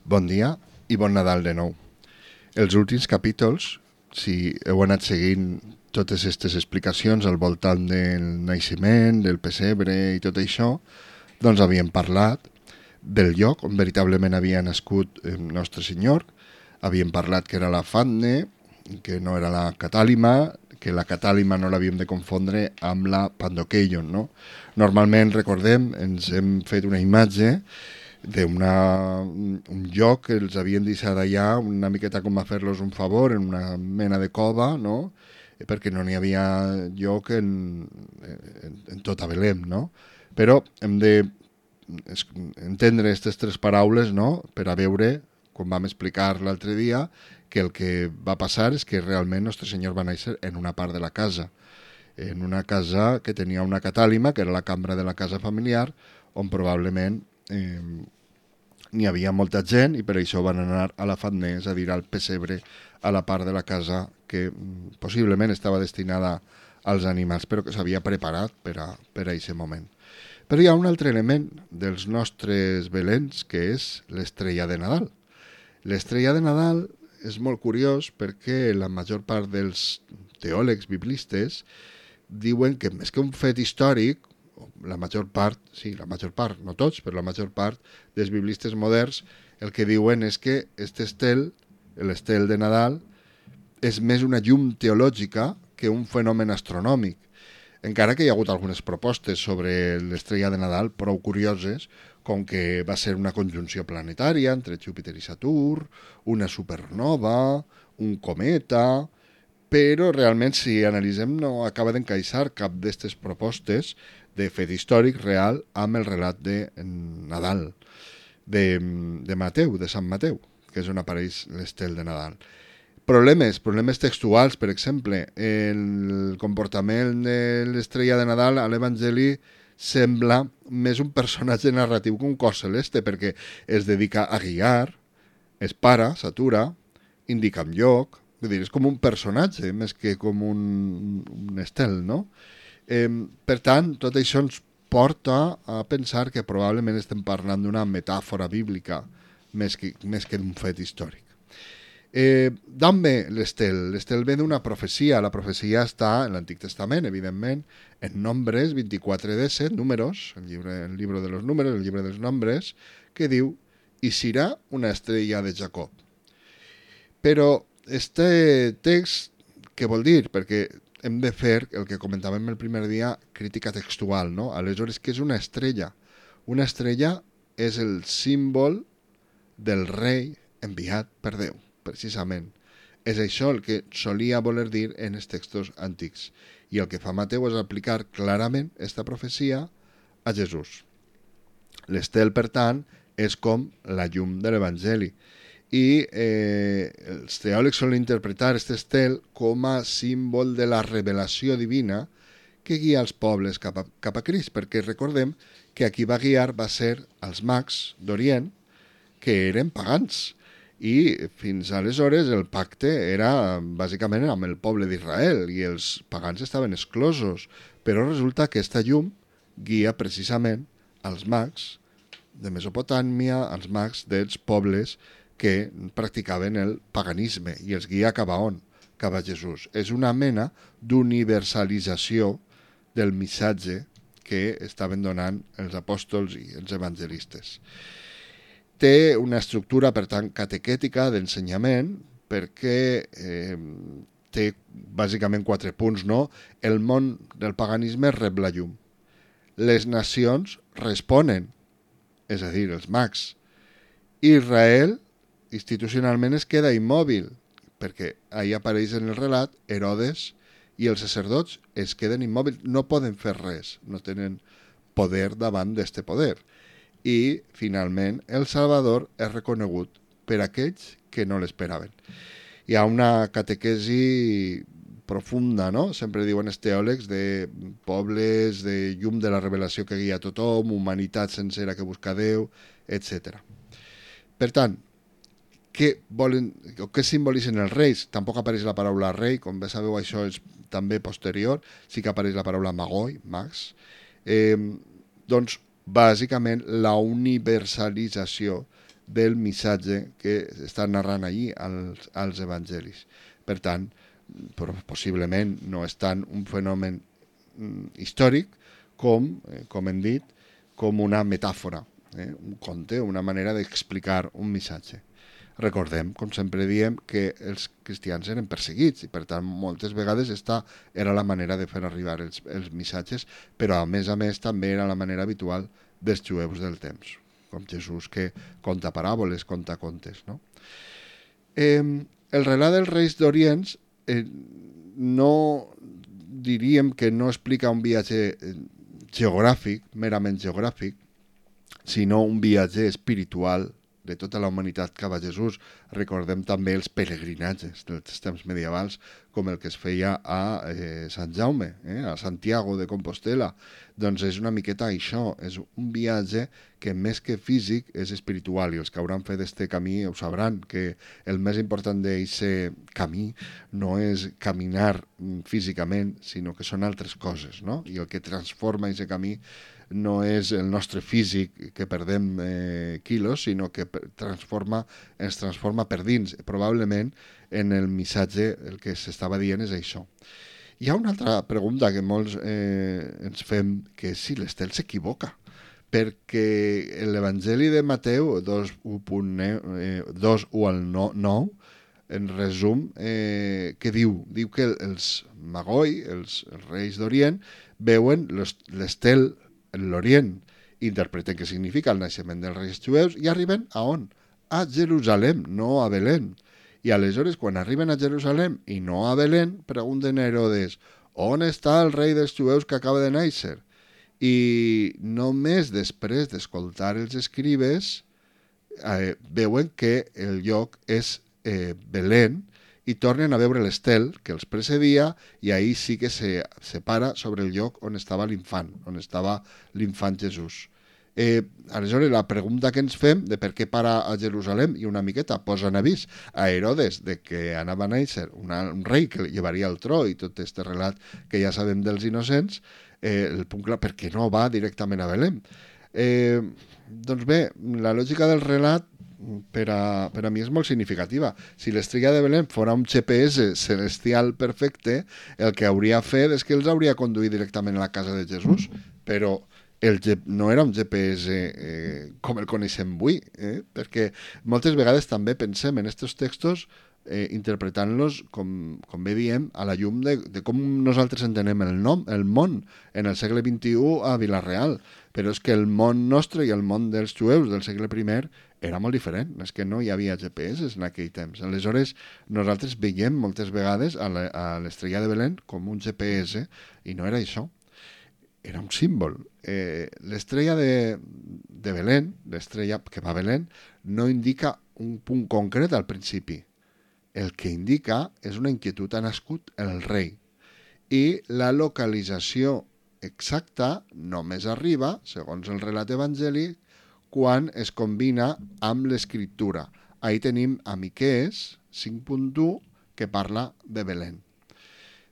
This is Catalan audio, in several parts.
Bon dia i bon Nadal de nou. Els últims capítols, si heu anat seguint totes aquestes explicacions al voltant del naixement, del pessebre i tot això, doncs havíem parlat del lloc on veritablement havia nascut el nostre senyor, havíem parlat que era la Fatne, que no era la Catàlima, que la Catàlima no l'havíem de confondre amb la Pandokeion, no? Normalment, recordem, ens hem fet una imatge d'un lloc que els havien deixat allà una miqueta com a fer-los un favor en una mena de cova, no? Perquè no n'hi havia lloc en tota Belém, no? Però hem de entendre aquestes tres paraules, no? Per a veure, com vam explicar l'altre dia, que el que va passar és que realment Nostre Senyor va néixer en una part de la casa, en una casa que tenia una catàlima, que era la cambra de la casa familiar, on probablement n'hi havia molta gent i per això van anar a la Fatne, és a dir, al pessebre, a la part de la casa que possiblement estava destinada als animals, però que s'havia preparat per a aquest moment. Però hi ha un altre element dels nostres Belens, que és l'estrella de Nadal. L'estrella de Nadal és molt curiós perquè la major part dels teòlegs biblistes diuen que més que un fet històric, la major part, no tots, però la major part dels biblistes moderns el que diuen és que aquest estel, l'estel de Nadal, és més una llum teològica que un fenomen astronòmic. Encara que hi ha hagut algunes propostes sobre l'estrella de Nadal prou curioses, com que va ser una conjunció planetària entre Júpiter i Saturn, una supernova, un cometa, però realment si analitzem no acaba d'encaixar cap d'aquestes propostes de fet històric real amb el relat de Nadal, de Mateu, de Sant Mateu, que és on apareix l'estel de Nadal. Problemes textuals, per exemple, el comportament de l'estrella de Nadal a l'Evangeli sembla més un personatge narratiu que un cos celeste, perquè es dedica a guiar, es para, s'atura, indica un lloc, vull dir, és com un personatge més que com un estel, no? Per tant, tot això ens porta a pensar que probablement estem parlant d'una metàfora bíblica més que d'un fet històric. D'on ve l'estel? L'estel ve d'una profecia. La profecia està en l'Antic Testament, evidentment, en Nombres 24:17, números, el llibre de los números, el llibre dels nombres, que diu, i serà una estrella de Jacob. Però este text, què vol dir? Perquè hem de fer el que comentàvem el primer dia, crítica textual, no? Aleshores, què és una estrella? Una estrella és el símbol del rei enviat per Déu, precisament. És això el que solia voler dir en els textos antics. I el que fa Mateu és aplicar clarament esta profecia a Jesús. L'estel, per tant, és com la llum de l'Evangeli. I els teòlegs solen interpretar aquest estel com a símbol de la revelació divina que guia els pobles cap a Crist, perquè recordem que a qui va guiar va ser els mags d'Orient, que eren pagans, i fins aleshores el pacte era bàsicament amb el poble d'Israel i els pagans estaven exclosos, però resulta que aquesta llum guia precisament als mags de Mesopotàmia, als mags dels pobles que practicaven el paganisme i els guia cap a on? Cap a Jesús. És una mena d'universalització del missatge que estaven donant els apòstols i els evangelistes. Té una estructura, per tant, catequètica d'ensenyament perquè té bàsicament 4 punts, no? El món del paganisme rep la llum. Les nacions responen, és a dir, els mags. Israel institucionalment es queda immòbil, perquè ahí apareix en el relat Herodes i els sacerdots es queden immòbils, no poden fer res, no tenen poder davant d'este poder. I, finalment, el Salvador és reconegut per aquells que no l'esperaven. Hi ha una catequesi profunda, no? Sempre diuen els teòlegs de pobles, de llum de la revelació que guia tothom, humanitat sencera que busca Déu, etc. Per tant, què simbolitzen els reis? Tampoc apareix la paraula rei, com bé sabeu això és també posterior, sí que apareix la paraula magoi, mags. Doncs bàsicament la universalització del missatge que està narrant allí als evangelis. Per tant, possiblement no és tant un fenomen històric com hem dit, com una metàfora, un conte, una manera d'explicar un missatge. Recordem, com sempre diem, que els cristians eren perseguits i per tant moltes vegades esta era la manera de fer arribar els missatges, però a més també era la manera habitual dels jueus del temps, com Jesús que conta paràboles, conta contes. No? El relat dels Reis d'Orient no diríem que no explica un viatge geogràfic, merament geogràfic, sinó un viatge espiritual de tota la humanitat cap a Jesús. Recordem també els pelegrinatges dels temps medievals, com el que es feia a Sant Jaume, a Santiago de Compostela. Doncs és una miqueta això, és un viatge que més que físic és espiritual, i els que hauran fet este camí ho sabran, que el més important d'aquest camí no és caminar físicament, sinó que són altres coses, no? I el que transforma aquest camí no és el nostre físic, que perdem quilos, sinó que ens transforma per dins. Probablement en el missatge el que s'estava dient és això. Hi ha una altra pregunta que molts ens fem, que és si l'Estel s'equivoca, perquè l'Evangeli de Mateu 2:1-9, en resum, què diu? Diu que els Magoi, els reis d'Orient, veuen l'estel en l'Orient, interpreten què significa el naixement dels reis jueus i arriben a on? A Jerusalem, no a Belén. I aleshores, quan arriben a Jerusalem i no a Belén, pregunten a Herodes, on està el rei dels jueus que acaba de néixer? I només després d'escoltar els escribes veuen que el lloc és Belén, i tornen a veure l'estel que els precedia, i ahir sí que se para sobre el lloc on estava l'infant, Jesús. Aleshores, la pregunta que ens fem de per què para a Jerusalem, i una miqueta posa en avís a Herodes de que anava a néixer un rei que llevaria el tro i tot aquest relat que ja sabem dels innocents, el punt clar, per què no va directament a Belém? Doncs bé, la lògica del relat per a mi és molt significativa. Si l'estrella de Belén fora un GPS celestial perfecte, el que hauria fet és que els hauria conduït directament a la casa de Jesús, però no era un GPS com el coneixem avui, perquè moltes vegades també pensem en aquests textos interpretant-los, com bé diem, a la llum de com nosaltres entenem el món en el segle XXI a Vila-real. Però és que el món nostre i el món dels jueus del segle I era molt diferent. És que no hi havia GPS en aquell temps. Aleshores, nosaltres veiem moltes vegades a l'estrella de Belén com un GPS, i no era això. Era un símbol. L'estrella de Belén, l'estrella que va a Belén, no indica un punt concret al principi. El que indica és una inquietud. Ha nascut el rei. I la localització exacta només arriba, segons el relat evangèlic, quan es combina amb l'escriptura. Ahí tenim a Miquees 5.1, que parla de Belén.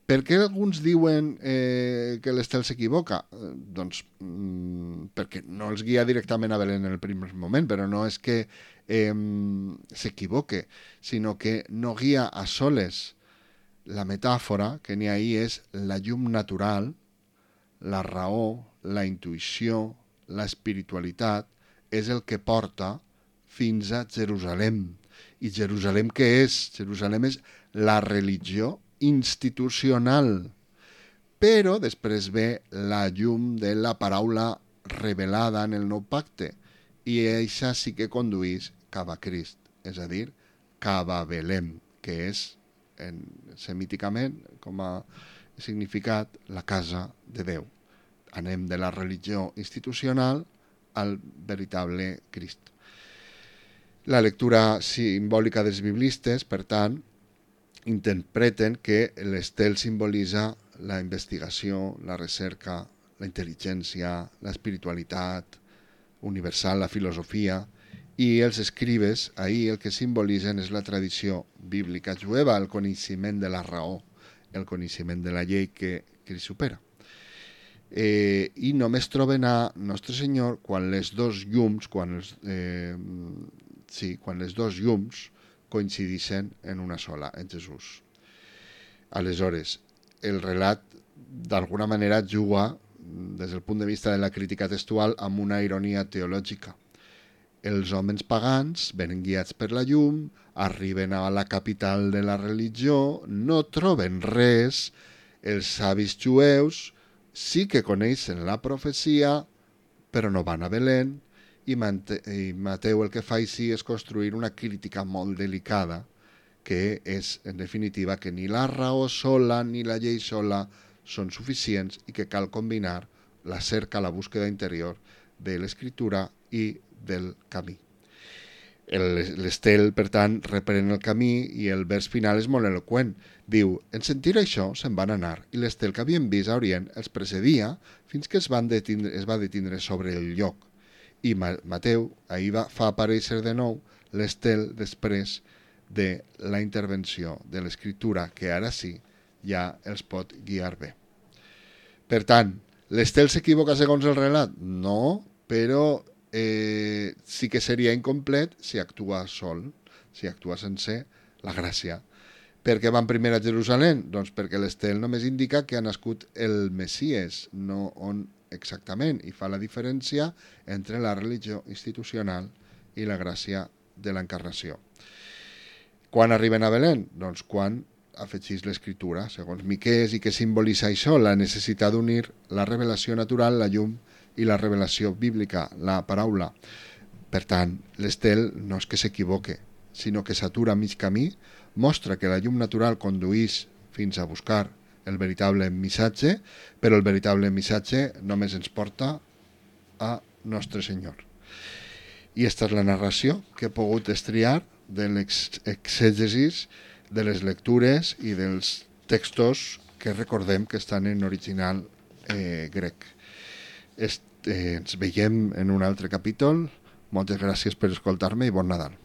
Per què alguns diuen que l'estel s'equivoca? Doncs perquè no els guia directament a Belén en el primer moment, però no és que s'equivoque, sinó que no guia a soles. La metàfora que n'hi ha ahí és la llum natural, la raó, la intuïció, l'espiritualitat, és el que porta fins a Jerusalem. I Jerusalem què és? Jerusalem és la religió institucional. Però després ve la llum de la paraula revelada en el nou pacte, i això sí que conduís cap a Crist, és a dir, cap a Belém, que és semíticament, com a significat, la casa de Déu. Anem de la religió institucional al veritable Crist. La lectura simbòlica dels biblistes, per tant, interpreten que l'estel simbolitza la investigació, la recerca, la intel·ligència, l'espiritualitat universal, la filosofia, i els escribes, ahir el que simbolitzen és la tradició bíblica jueva, el coneixement de la raó, el coneixement de la llei que li supera. I només troben a Nostre Senyor quan les dos llums, quan sí, quan les dos llums coincideixen en una sola, en Jesús. Aleshores, el relat d'alguna manera juga, des del punt de vista de la crítica textual, amb una ironia teològica. Els homes pagans venen guiats per la llum, arriben a la capital de la religió, no troben res, els savis jueus sí que coneixen la profecia, però no van a Belén, i Mateu el que fa així és construir una crítica molt delicada, que és, en definitiva, que ni la raó sola ni la llei sola són suficients i que cal combinar la cerca, la búsqueda interior de l'escriptura i del camí. L'Estel, per tant, reprèn el camí i el vers final és molt eloqüent. Diu, en sentir això se'n van anar i l'Estel que havien vist a Orient els precedia fins que es va detindre sobre el lloc. I Mateu ahir fa aparèixer de nou l'Estel després de la intervenció de l'escriptura, que ara sí ja els pot guiar bé. Per tant, l'Estel s'equivoca segons el relat? No, però sí que seria incomplet si actua sol, si actua sense la gràcia. Per què van primer a Jerusalem? Doncs perquè l'Estel només indica que ha nascut el Messies, no on exactament, i fa la diferència entre la religió institucional i la gràcia de l'encarnació. Quan arriben a Belén? Doncs quan afegís l'escriptura, segons Miqués, i que simbolitza això, la necessitat d'unir la revelació natural, la llum, i la revelació bíblica, la paraula. Per tant, l'Estel no és que s'equivoque, sinó que s'atura a mig camí, mostra que la llum natural conduïx fins a buscar el veritable missatge, però el veritable missatge només ens porta a Nostre Senyor. I aquesta és la narració que he pogut estriar de l'exègesis, de les lectures i dels textos que recordem que estan en original grec. Ens veiem en un altre capítol. Moltes gràcies per escoltar-me i bon Nadal.